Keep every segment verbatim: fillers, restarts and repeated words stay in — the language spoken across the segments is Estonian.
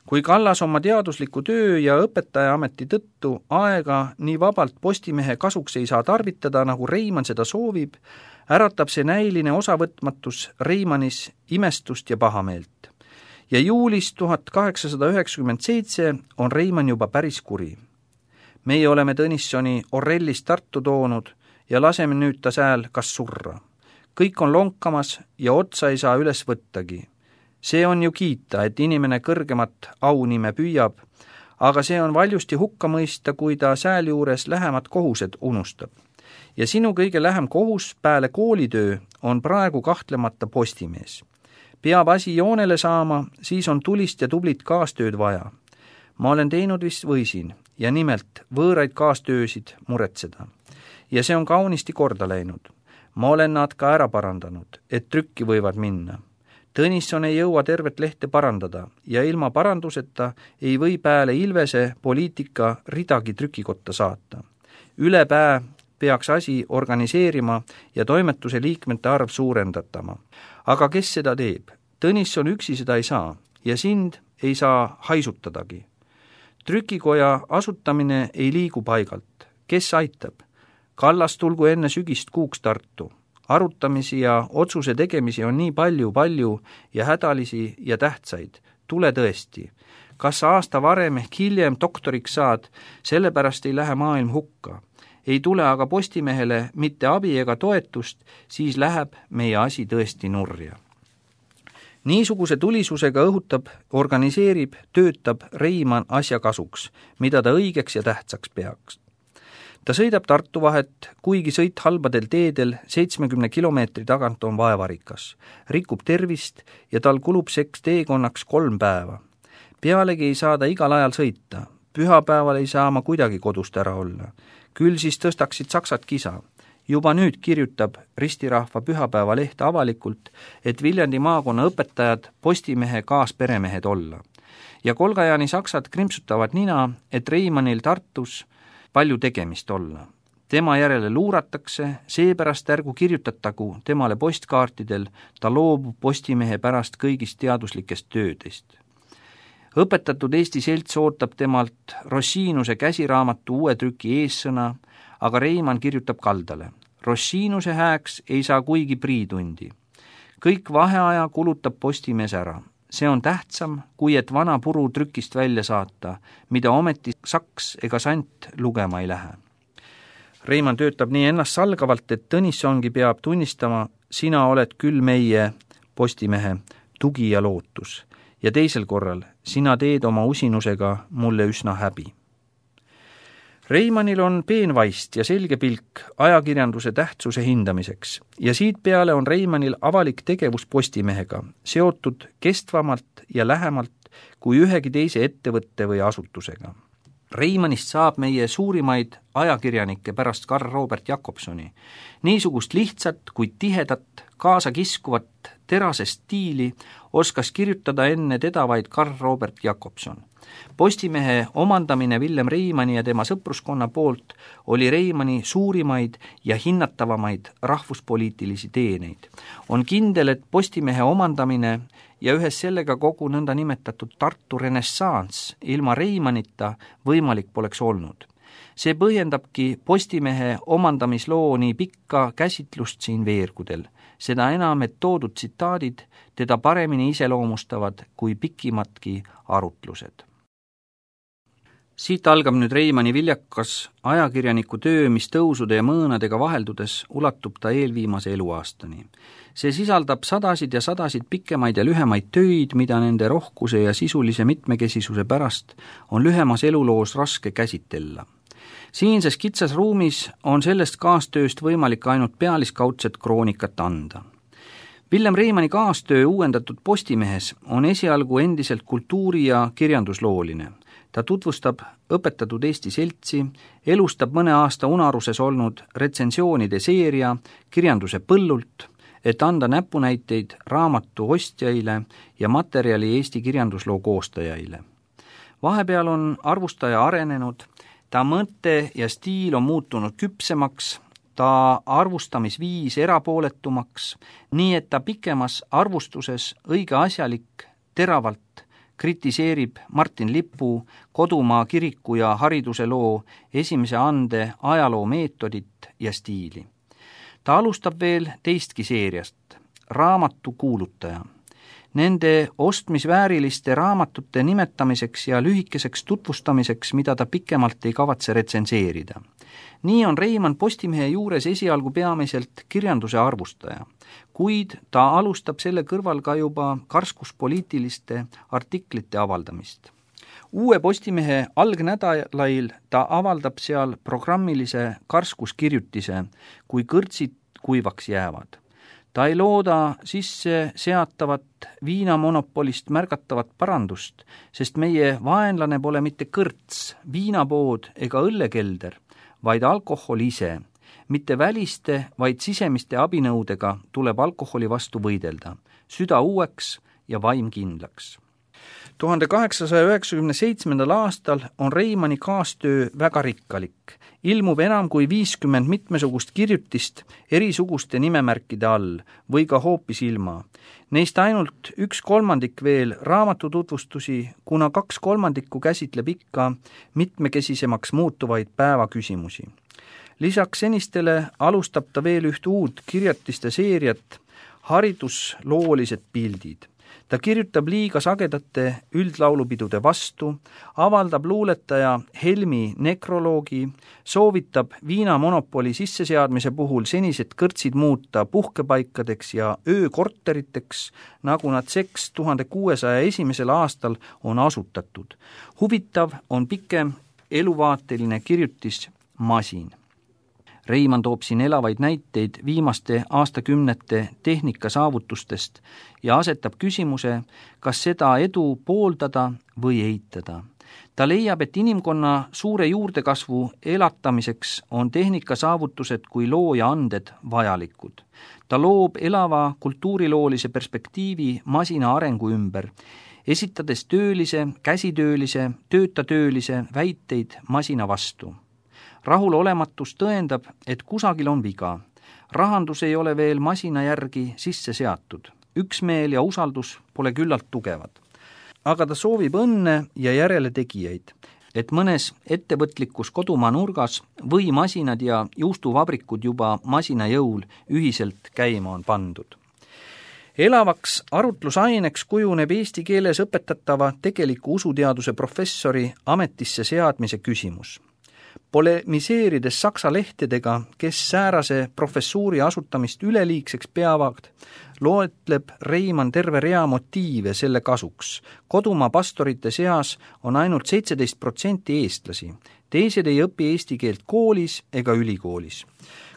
Kui Kallas oma teadusliku töö ja õpetajaameti tõttu aega nii vabalt Postimehe kasuks ei saa tarvitada, nagu Reimann seda soovib, äratab see näiline osavõtmatus Reimannis imestust ja pahameelt. Ja juulis tuhat kaheksasada üheksakümmend seitse on Reimann juba päris kuri. Meie oleme Tõnissoni Orellist Tartu toonud ja laseme nüüd ta sääl kas surra. Kõik on lonkamas ja otsa ei saa üles võttagi. See on ju kiita, et inimene kõrgemat aunime püüab, aga see on valjusti hukka mõista, kui ta sääl juures lähemad kohused unustab. Ja sinu kõige lähem kohus pääle koolitöö on praegu kahtlemata Postimees. Peab asi joonele saama, siis on tulist ja tublit kaastööd vaja. Ma olen teinud vist võisin ja nimelt võõraid kaastöösid muretseda. Ja see on kaunisti korda läinud. Ma olen nad ka ära parandanud, et trükki võivad minna. Tõnisson ei jõua tervet lehte parandada ja ilma paranduseta ei või pääle Ilvese poliitika ridagi trükikotta saata. Üle pää peaks asi organiseerima ja toimetuse liikmete arv suurendatama. Aga kes seda teeb? Tõnisson üksi seda ei saa ja sind ei saa haisutadagi. Trükikoja asutamine ei liigu paigalt. Kes aitab? Kallas tulgu enne sügist kuuks Tartu. Arutamisi ja otsuse tegemisi on nii palju, palju ja hädalisi ja tähtsaid. Tule tõesti. Kas sa aasta varem ehk hiljem doktoriks saad, sellepärast ei lähe maailm hukka. Ei tule aga Postimehele mitte abi ega toetust, siis läheb meie asi tõesti nurja. Niisuguse tulisusega õhutab, organiseerib, töötab Reimann asja kasuks, mida ta õigeks ja tähtsaks peaks. Ta sõidab Tartu vahet, kuigi sõit halbadel teedel seitsmekümne kilomeetri tagant on vaevarikas, rikub tervist ja tal kulub seks teekonnaks kolm päeva. Pealegi ei saa ta igal ajal sõita, pühapäeval ei saa ma kuidagi kodust ära olla. Küll siis tõstaksid saksad kisa. Juba nüüd kirjutab Ristirahva pühapäeva leht avalikult, et Viljandi maakonna õpetajad Postimehe kaasperemehed olla. Ja Kolgajani saksad krimpsutavad nina, et Reimannil Tartus palju tegemist olla. Tema järele luuratakse, seepärast ärgu kirjutatagu temale postkaartidel, ta loobub Postimehe pärast kõigist teaduslikest töödest. Õpetatud Eesti selts ootab temalt Rossiinuse käsiraamatu uue trüki eessõna, aga Reimann kirjutab kaldale. Rossiinuse hääks ei saa kuigi priitundi. Kõik vaheaja kulutab Postimees ära. See on tähtsam, kui et vana puru trükist välja saata, mida ometi saks ega sant lugema ei lähe. Reimann töötab nii ennast salgavalt, et Tõnissongi peab tunnistama, sina oled küll meie Postimehe tugi ja lootus. Ja teisel korral, sina teed oma usinusega mulle üsna häbi. Reimannil on peenvaist ja selge pilk ajakirjanduse tähtsuse hindamiseks ja siit peale on Reimannil avalik tegevus Postimehega, seotud kestvamalt ja lähemalt kui ühegi teise ettevõtte või asutusega. Reimannist saab meie suurimaid ajakirjanikke pärast Karl Robert Jakobsoni. Niisugust lihtsat, kuid tihedat, kaasa kiskuvat terase stiili oskas kirjutada enne teda vaid Karl Robert Jakobson. Postimehe omandamine Villem Reimanni ja tema sõpruskonna poolt oli Reimanni suurimaid ja hinnatavamaid rahvuspoliitilisi teeneid. On kindel, et Postimehe omandamine ja ühes sellega kogu nõnda nimetatud Tartu renessants ilma Reimannita võimalik poleks olnud. See põhjendabki Postimehe omandamisloo nii pikka käsitlust siin veergudel. Seda enam, et toodud tsitaadid teda paremini iseloomustavad kui pikimatki arutlused. Siit algab nüüd Reimanni viljakas ajakirjaniku töö, mis tõusude ja mõõnadega vaheldudes ulatub ta eelviimase eluaastani. See sisaldab sadasid ja sadasid pikemaid ja lühemaid töid, mida nende rohkuse ja sisulise mitmekesisuse pärast on lühemas eluloos raske käsitella. Siinses kitsas ruumis on sellest kaastööst võimalik ainult pealiskaudset kroonikat anda. Villem Reimanni kaastöö uuendatud Postimehes on esialgu endiselt kultuuri- ja kirjanduslooline. Ta tutvustab õpetatud Eesti seltsi, elustab mõne aasta unaruses olnud retsensioonide seeria kirjanduse põllult, et anda näpunäiteid raamatu ostjaile ja materjali Eesti kirjandusloo koostajaile. Vahepeal on arvustaja arenenud, ta mõte ja stiil on muutunud küpsemaks, ta arvustamisviis erapooletumaks, nii et ta pikemas arvustuses õige asjalik, teravalt kritiseerib Martin Lipu Kodumaa kiriku ja hariduse loo esimese ande ajaloo meetodit ja stiili. Ta alustab veel teistki seeriast, raamatu kuulutaja. Nende ostmisvääriliste raamatute nimetamiseks ja lühikeseks tutvustamiseks, mida ta pikemalt ei kavatse retsenseerida. Nii on Reimann Postimehe juures esialgu peamiselt kirjanduse arvustaja, kuid ta alustab selle kõrval ka juba karskuspoliitiliste artiklite avaldamist. Uue Postimehe algnädalail ta avaldab seal programmilise karskuskirjutise, kui kõrtsid kuivaks jäävad. Ta ei looda sisse seatavat viinamonopolist märgatavat parandust, sest meie vaenlane pole mitte kõrts, viinapood ega õllekelder, vaid alkohol ise. Mitte väliste, vaid sisemiste abinõudega tuleb alkoholi vastu võidelda, süda uueks ja vaim kindlaks. tuhande kaheksasaja üheksakümne seitsmendal aastal on Reimanni kaastöö väga rikkalik. Ilmub enam kui viiskümmend mitmesugust kirjutist erisuguste nimemärkide all või ka hoopis ilma. Neist ainult üks kolmandik veel raamatututvustusi, kuna kaks kolmandikku käsitleb ikka mitmekesisemaks muutuvaid päevaküsimusi. Lisaks senistele alustab ta veel üht uut kirjatiste seeriat, haridusloolised pildid. Ta kirjutab liiga sagedate üldlaulupidude vastu, avaldab luuletaja Helmi nekroloogi, soovitab viinamonopoli sisseseadmise puhul senised kõrtsid muuta puhkepaikadeks ja öökorteriteks, nagu nad seks tuhande kuuesaja esimesel aastal on asutatud. Huvitav on pikem eluvaateline kirjutis Masin. Reimann toob siin elavaid näiteid viimaste aastakümnete tehnika saavutustest ja asetab küsimuse, kas seda edu pooldada või eitada. Ta leiab, et inimkonna suure juurdekasvu elatamiseks on tehnika saavutused kui looja anded vajalikud. Ta loob elava kultuuriloolise perspektiivi masina arengu ümber, esitades töölise, käsitöölise, töötatöölise väiteid masina vastu. Rahulolematus tõendab, et kusagil on viga. Rahandus ei ole veel masina järgi sisse seatud. Üksmeel ja usaldus pole küllalt tugevad. Aga ta soovib õnne ja järeletegijaid, et mõnes ettevõtlikus kodumaa nurgas või masinad ja juustuvabrikud juba masina jõul ühiselt käima on pandud. Elavaks arutlusaineks kujuneb eesti keeles õpetatava tegeliku usuteaduse professori ametisse seadmise küsimus. Polemiseerides saksa lehtedega, kes säärase professuuri asutamist üleliigseks peavad, loetleb Reimann terve rea motiive selle kasuks. Kodumaa pastorite seas on ainult seitseteist protsenti eestlasi. Teised ei õpi eesti keelt koolis ega ülikoolis.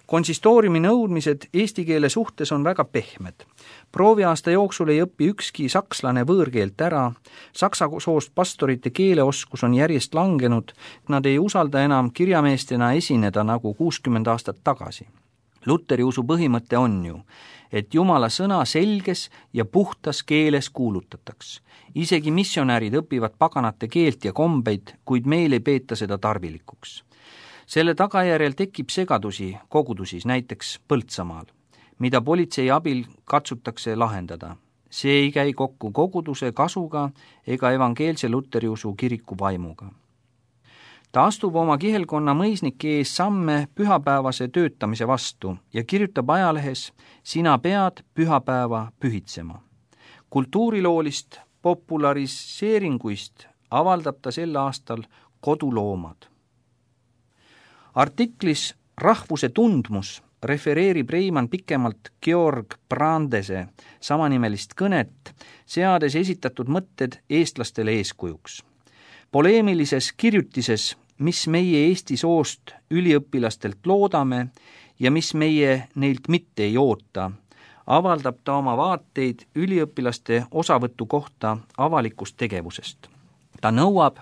Konsistooriumi nõudmised eesti keele suhtes on väga pehmed. Prooviaasta jooksul ei õpi ükski sakslane võõrkeelt ära, saksa soost pastorite keeleoskus on järjest langenud, nad ei usalda enam kirjameestena esineda nagu kuuskümmend aastat tagasi. Luteri usu põhimõte on ju, et Jumala sõna selges ja puhtas keeles kuulutataks. Isegi missionärid õpivad paganate keelt ja kombeid, kuid meil ei peeta seda tarvilikuks. Selle tagajärjel tekib segadusi kogudusis, näiteks Põltsamaal, mida politsei abil katsutakse lahendada. See ei käi kokku koguduse kasuga ega evangeelse luteriusu kiriku vaimuga. Ta astub oma kihelkonna mõisnike ees samme pühapäevase töötamise vastu ja kirjutab ajalehes "Sina pead pühapäeva pühitsema". Kultuuriloolist populariseeringuist avaldab ta sel aastal Koduloomad. Artiklis Rahvuse tundmus refereerib Reimann pikemalt Georg Brandese samanimelist kõnet, seades esitatud mõtted eestlastele eeskujuks. Poleemilises kirjutises, mis meie Eesti soost üliõpilastelt loodame ja mis meie neilt mitte ei oota, avaldab ta oma vaateid üliõpilaste osavõtu kohta avalikust tegevusest. Ta nõuab,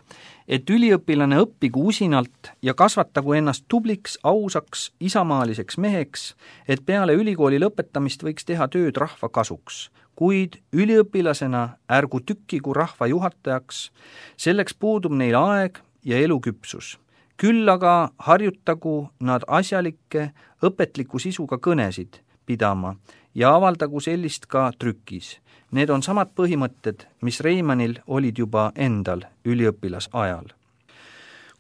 et üliõpilane õppigu usinalt ja kasvatagu ennast tubliks, ausaks, isamaaliseks meheks, et peale ülikooli lõpetamist võiks teha tööd rahva kasuks. Kuid üliõpilasena ärgu tükkigu rahva juhatajaks, selleks puudub neil aeg ja eluküpsus. Küll aga harjutagu nad asjalikke, õpetliku sisuga kõnesid pidama ja avaldagu sellist ka trükis. Need on samad põhimõtted, mis Reimannil olid juba endal üliõpilasajal.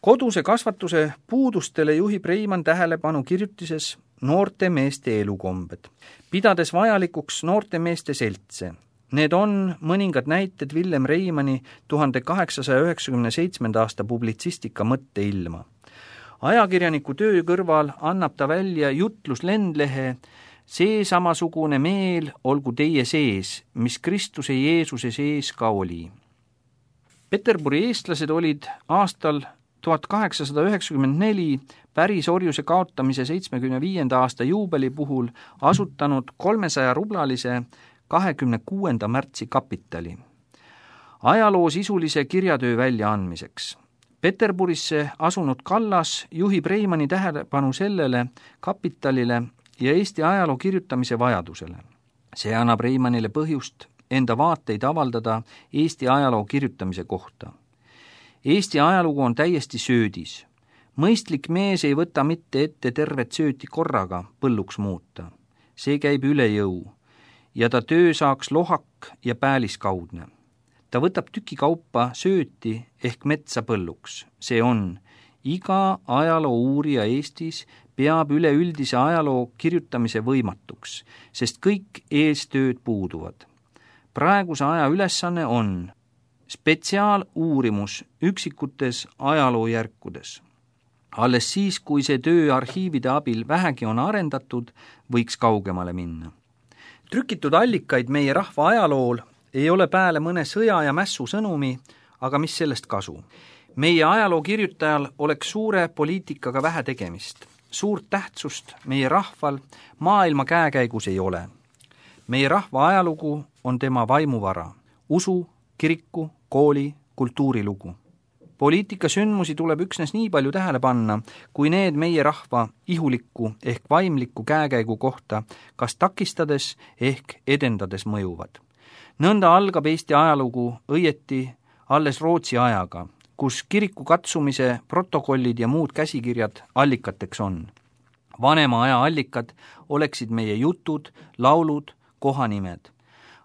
Koduse kasvatuse puudustele juhib Reimann tähelepanu kirjutises Noorte meeste elukombed, pidades vajalikuks noorte meeste seltse. Need on mõningad näited Villem Reimanni tuhande kaheksasaja üheksakümne seitsmenda aasta publitsistika mõtteilma. Ajakirjaniku töö kõrval annab ta välja jutluslendlehe See samasugune meel olgu teie sees, mis Kristuse Jeesuse sees ka oli. Peterburi eestlased olid aastal tuhat kaheksasada üheksakümmend neli pärisorjuse kaotamise seitsmekümne viienda aasta juubeli puhul asutanud kolmesaja rublalise kahekümne kuuenda märtsi kapitali ajaloo sisulise kirjatöö väljaandmiseks. Peterburisse asunud Kallas juhib Reimanni tähelepanu sellele kapitalile ja Eesti ajaloo kirjutamise vajadusele. See annab Reimannile põhjust enda vaateid avaldada Eesti ajaloo kirjutamise kohta. Eesti ajalugu on täiesti söödis. Mõistlik mees ei võta mitte ette tervet sööti korraga põlluks muuta. See käib üle jõu ja ta töö saaks lohak ja pääliskaudne. Ta võtab tüki kaupa sööti ehk metsa põlluks. See on, iga ajaloo uurija Eestis peab üleüldise ajaloo kirjutamise võimatuks, sest kõik eestööd puuduvad. Praeguse aja ülesanne on spetsiaaluurimus üksikutes ajaloojärkudes. Alles siis, kui see töö arhiivide abil vähegi on arendatud, võiks kaugemale minna. Trükitud allikaid meie rahva ajalool ei ole pääle mõne sõja ja mässu sõnumi, aga mis sellest kasu? Meie ajaloo kirjutajal oleks suure poliitikaga vähe tegemist. Suurt tähtsust meie rahval maailma käekäigus ei ole. Meie rahva ajalugu on tema vaimuvara, usu, kiriku, kooli, kultuurilugu. Poliitika sündmusi tuleb üksnes nii palju tähele panna, kui need meie rahva ihulikku ehk vaimlikku käekäigu kohta kas takistades ehk edendades mõjuvad. Nõnda algab Eesti ajalugu õieti alles Rootsi ajaga, kus kiriku katsumise protokollid ja muud käsikirjad allikateks on. Vanema aja allikad oleksid meie jutud, laulud, kohanimed.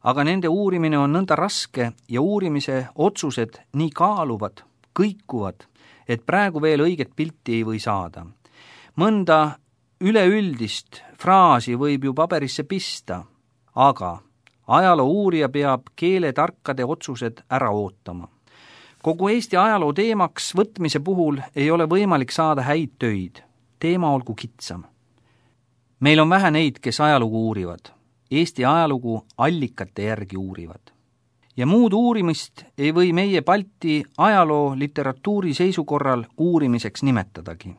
Aga nende uurimine on nõnda raske ja uurimise otsused nii kaaluvad, kõikuvad, et praegu veel õiget pilti ei või saada. Mõnda üleüldist fraasi võib ju paberisse pista, aga ajaloo uurija peab keeletarkade otsused ära ootama. Kogu Eesti ajaloo teemaks võtmise puhul ei ole võimalik saada häid töid. Teema olgu kitsam. Meil on vähe neid, kes ajalugu uurivad. Eesti ajalugu allikate järgi uurivad. Ja muud uurimist ei või meie Balti ajaloo literatuuri seisukorral uurimiseks nimetadagi.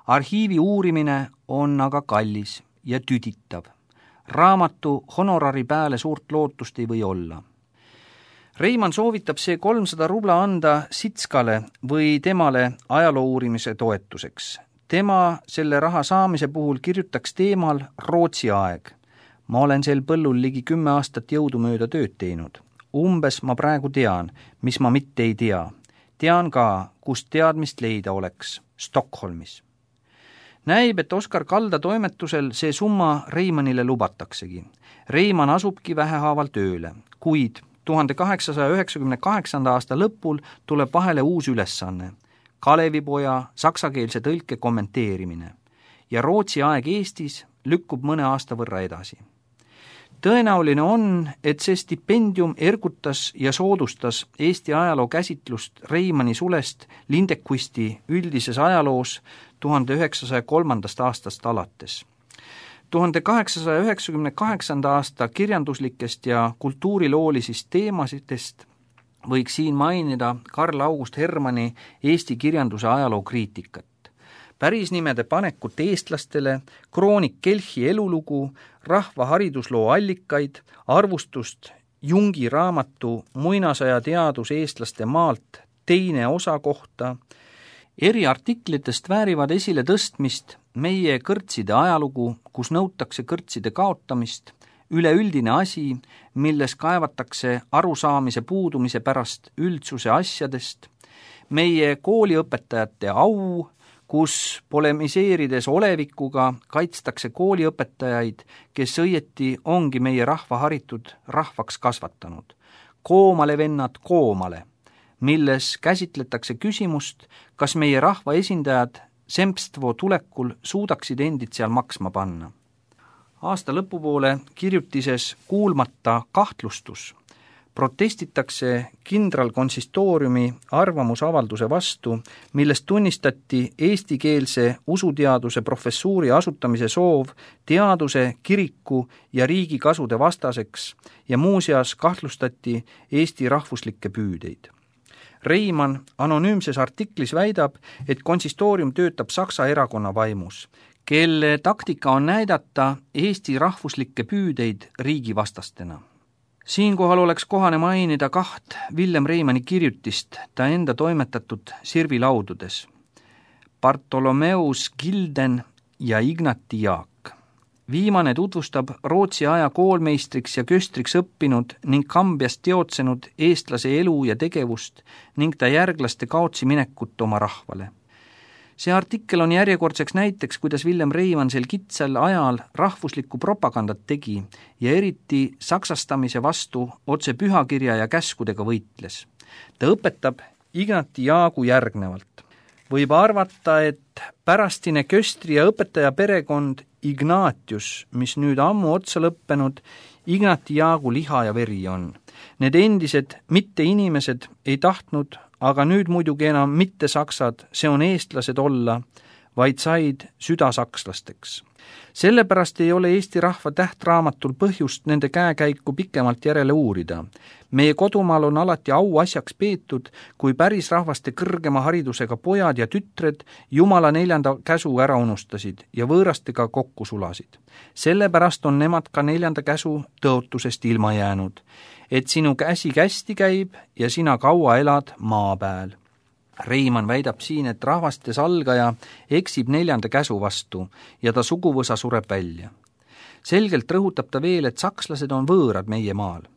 Arhiivi uurimine on aga kallis ja tüditav. Raamatu honorari pääle suurt lootust ei või olla. Reimann soovitab see kolmsada rubla anda Sitskale või temale ajaloo uurimise toetuseks. Tema selle raha saamise puhul kirjutaks teemal Rootsi aeg. Ma olen sel põllul ligi kümme aastat jõudumööda tööd teinud. Umbes ma praegu tean, mis ma mitte ei tea. Tean ka, kust teadmist leida oleks, Stockholmis. Näib, et Oskar Kalda toimetusel see summa Reimannile lubataksegi. Reimann asubki vähehaaval tööle, kuid tuhande kaheksasaja üheksakümne kaheksanda aasta lõpul tuleb vahele uus ülesanne, Kalevipoja saksakeelse tõlke kommenteerimine ja Rootsi aeg Eestis lükkub mõne aasta võrra edasi. Tõenäoline on, et see stipendium ergutas ja soodustas Eesti ajaloo käsitlust Reimanni sulest Lindekvisti üldises ajaloos tuhande üheksasaja kolmandast aastast alates. tuhande kaheksasaja üheksakümne kaheksanda aasta kirjanduslikest ja kultuuriloolisist teemasitest võiks siin mainida Karl August Hermanni Eesti kirjanduse ajaloo kriitikat. Pärisnimede panekut eestlastele, kroonik Kelchi elulugu, rahva haridusloo allikaid, arvustust Jungi raamatu Muinasaja teadus eestlaste maalt teine osa kohta. Eri artiklitest väärivad esile tõstmist meie kõrtside ajalugu, kus nõutakse kõrtside kaotamist, üleüldine asi, milles kaevatakse arusaamise puudumise pärast üldsuse asjadest, meie kooliõpetajate au, kus polemiseerides olevikuga kaitstakse kooliõpetajaid, kes õieti ongi meie rahva haritud rahvaks kasvatanud. Koomale vennad koomale, milles käsitletakse küsimust, kas meie rahva esindajad Sempstvo tulekul suudaksid endid seal maksma panna. Aasta lõpupoole kirjutises Kuulmata kahtlustus protestitakse kindralkonsistooriumi arvamusavalduse vastu, milles tunnistati eestikeelse usuteaduse professuuri asutamise soov teaduse, kiriku ja riigi kasude vastaseks ja muuseas kahtlustati Eesti rahvuslikke püüdeid. Reimann anonüümses artiklis väidab, et konsistoorium töötab Saksa erakonna vaimus, kelle taktika on näidata Eesti rahvuslikke püüdeid riigivastastena. Siinkohal oleks kohane mainida kaht Villem Reimanni kirjutist ta enda toimetatud sirvilaududes. Bartholomeus Gilden ja Ignati Jaak. Viimane tutvustab Rootsi aja koolmeistriks ja köstriks õppinud ning Kambiast teotsenud eestlase elu ja tegevust ning ta järglaste kaotsi minekut oma rahvale. See artikkel on järjekordseks näiteks, kuidas Villem Reimann sel kitsal ajal rahvuslikku propagandat tegi ja eriti saksastamise vastu otse pühakirja ja käskudega võitles. Ta õpetab Ignati Jaagu järgnevalt. Võib arvata, et pärastine köstri ja õpetaja perekond Ignatius, mis nüüd ammu otsa lõppenud, Ignati Jaagu liha ja veri on. Need endised mitte inimesed ei tahtnud, aga nüüd muidugi enam mitte saksad, see on eestlased olla, vaid said südasakslasteks. Sellepärast ei ole Eesti rahva tähtraamatul põhjust nende käekäiku pikemalt järele uurida. Meie kodumaal on alati au asjaks peetud, kui päris rahvaste kõrgema haridusega pojad ja tütred Jumala neljanda käsu ära unustasid ja võõrastega kokku sulasid. Sellepärast on nemad ka neljanda käsu tõotusest ilma jäänud, et sinu käsi kästi käib ja sina kaua elad maa pääl. Reimann väidab siin, et rahvaste salgaja eksib neljanda käsu vastu ja ta suguvõsa sureb välja. Selgelt rõhutab ta veel, et sakslased on võõrad meie maal.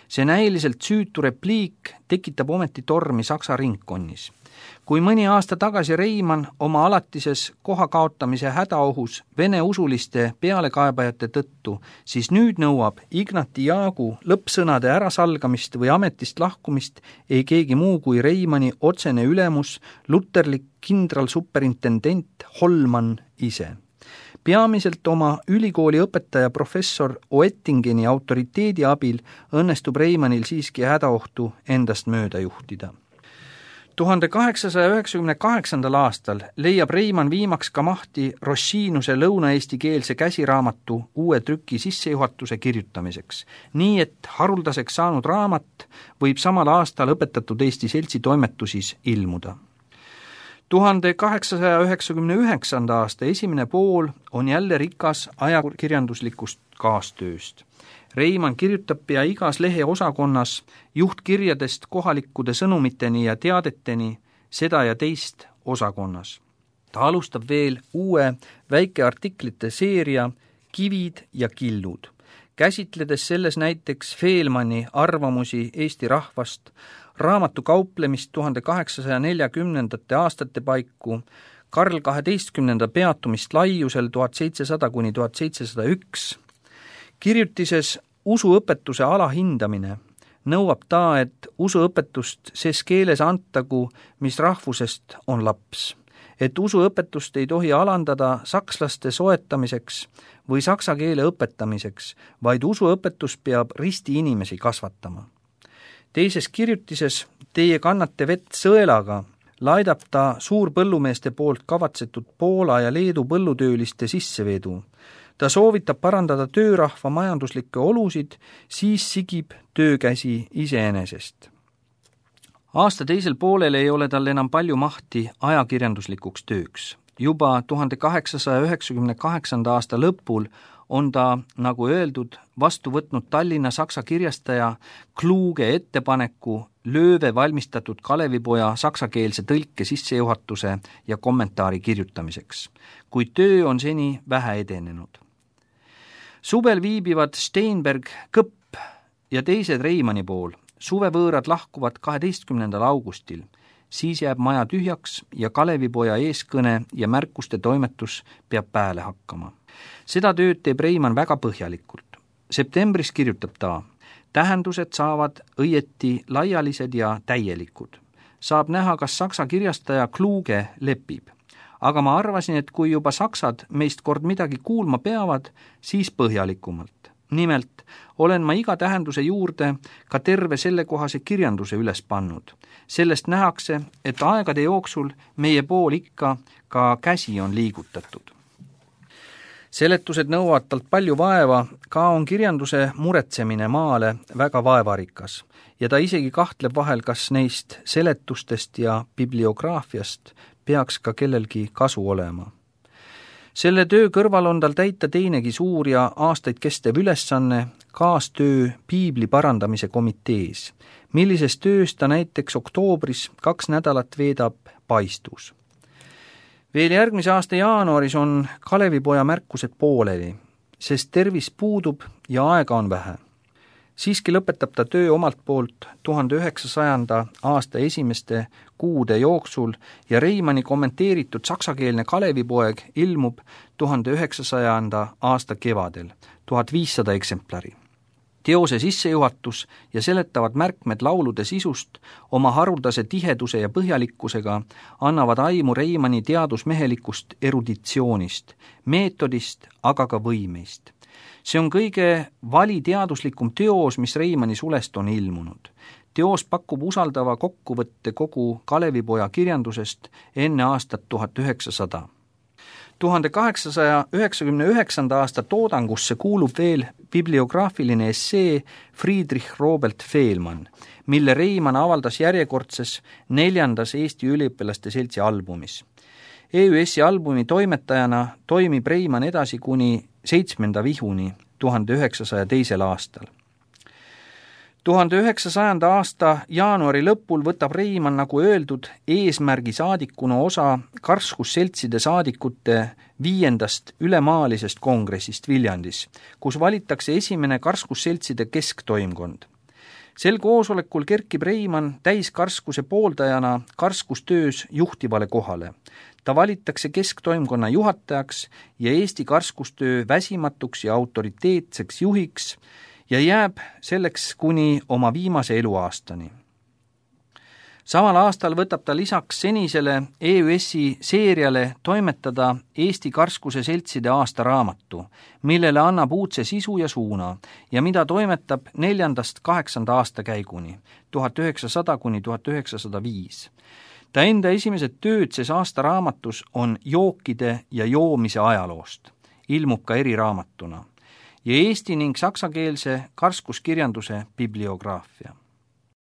See näiliselt süütu repliik tekitab ometi tormi Saksa ringkonnis. Kui mõni aasta tagasi Reimann oma alatises koha kaotamise hädaohus vene usuliste pealekaebajate tõttu, siis nüüd nõuab Ignati Jaagu lõppsõnade ärasalgamist või ametist lahkumist ei keegi muu kui Reimanni otsene ülemus, luterlik kindralsuperintendent Holman ise. Peamiselt oma ülikooli õpetaja professor Oettingeni autoriteedi abil õnnestub Reimannil siiski hädaohtu endast mööda juhtida. tuhande kaheksasaja üheksakümne kaheksandal aastal leiab Reimann viimaks ka mahti Rossiinuse lõunaeestikeelse käsiraamatu uue trüki sissejuhatuse kirjutamiseks, nii et haruldaseks saanud raamat võib samal aastal õpetatud Eesti Seltsi toimetusis ilmuda. tuhande kaheksasaja üheksakümne üheksanda aasta esimene pool on jälle rikas ajakirjanduslikust kaastööst. Reimann kirjutab pea igas lehe osakonnas juhtkirjadest kohalikkude sõnumiteni ja teadeteni seda ja teist osakonnas. Ta alustab veel uue väikeartiklite seeria Kivid ja killud, käsitledes selles näiteks Feelmanni arvamusi Eesti rahvast, raamatu kauplemist tuhande kaheksasaja neljakümnendate aastate paiku, Karl kaheteistkümnenda peatumist laiusel tuhat seitsesada kuni tuhat seitsesada üks. Kirjutises usuõpetuse alahindamine nõuab ta, et usuõpetust ses keeles antagu, mis rahvusest on laps. Et usuõpetust ei tohi alandada sakslaste soetamiseks või saksa keele õpetamiseks, vaid usuõpetus peab risti inimesi kasvatama. Teises kirjutises Teie kannate vett sõelaga laidab ta suurpõllumeeste poolt kavatsetud Poola ja Leedu põllutööliste sissevedu. Ta soovitab parandada töörahva majanduslikke olusid, siis sigib töökäsi iseenesest. Aasta teisel poolel ei ole tal enam palju mahti ajakirjanduslikuks tööks. Juba tuhande kaheksasaja üheksakümne kaheksanda aasta lõpul on ta, nagu öeldud, vastu võtnud Tallinna saksa kirjastaja Kluge ettepaneku Lööve valmistatud Kalevipoja saksakeelse tõlke sissejuhatuse ja kommentaari kirjutamiseks, kuid töö on seni vähe edenenud. Suvel viibivad Steinberg, Kõpp ja teised Reimanni pool. Suvevõõrad lahkuvad kaheteistkümnendal augustil. siis jääb maja tühjaks ja Kalevipoja eeskõne ja märkuste toimetus peab pääle hakkama. Seda tööd teeb Reimann väga põhjalikult. Septembris kirjutab ta: tähendused saavad õieti laialised ja täielikud. Saab näha, kas saksa kirjastaja Kluge lepib. Aga ma arvasin, et kui juba saksad meist kord midagi kuulma peavad, siis põhjalikumalt. Nimelt olen ma iga tähenduse juurde ka terve sellekohase kirjanduse üles pannud. Sellest nähakse, et aegade jooksul meie pool ikka ka käsi on liigutatud. Seletused nõuavad talt palju vaeva, ka on kirjanduse muretsemine maale väga vaevarikas ja ta isegi kahtleb vahel, kas neist seletustest ja bibliograafiast peaks ka kellelgi kasu olema. Selle töö kõrval on tal täita teinegi suur ja aastaid kestev ülesanne kaastöö piibli parandamise komitees, millises töös ta näiteks oktoobris kaks nädalat veedab Paistus. Veel järgmise aasta jaanuaris on Kalevipoja märkused pooleli, sest tervis puudub ja aega on vähe. Siiski lõpetab ta töö omalt poolt tuhande üheksasajanda aasta esimeste kuude jooksul ja Reimanni kommenteeritud saksakeelne Kalevipoeg ilmub tuhande üheksasajanda aasta kevadel, tuhat viissada eksemplari. Teose sissejuhatus ja seletavad märkmed laulude sisust oma haruldase tiheduse ja põhjalikkusega annavad aimu Reimanni teadusmehelikust eruditsioonist, meetodist, aga ka võimeist. See on kõige valiteaduslikum teos, mis Reimanni sulest on ilmunud. Teos pakub usaldava kokkuvõtte kogu Kalevipoja kirjandusest enne aastat tuhat üheksasada. tuhande kaheksasaja üheksakümne üheksanda aasta toodangusse kuulub veel bibliograafiline essee Friedrich Robert Fehlmann, mille Reimann avaldas järjekordses neljandas Eesti üliõpilaste seltsi albumis. E Ü S-i albumi toimetajana toimib Reimann edasi kuni seitsmenda vihuni tuhande üheksasaja teisel aastal. tuhande üheksasajanda aasta jaanuari lõpul võtab Reimann, nagu öeldud, eesmärgi saadikuna osa karskusseltside saadikute viiendast ülemaalisest kongressist Viljandis, kus valitakse esimene karskusseltside kesktoimkond. Sel koosolekul kerkib Reimann täiskarskuse pooldajana karskustöös juhtivale kohale. Ta valitakse kesktoimkonna juhatajaks ja Eesti karskustöö väsimatuks ja autoriteetseks juhiks ja jääb selleks kuni oma viimase eluaastani. Samal aastal võtab ta lisaks senisele E Ü S-i seeriale toimetada Eesti karskuse seltside aastaraamatu, millele annab uudse sisu ja suuna ja mida toimetab neljandast kaheksanda aasta käiguni, tuhat üheksasada kuni tuhat üheksasada viis. Ta enda esimesed tööd ses aastaraamatus on jookide ja joomise ajaloost, ilmub ka eriraamatuna, ja eesti ning saksakeelse karskuskirjanduse bibliograafia.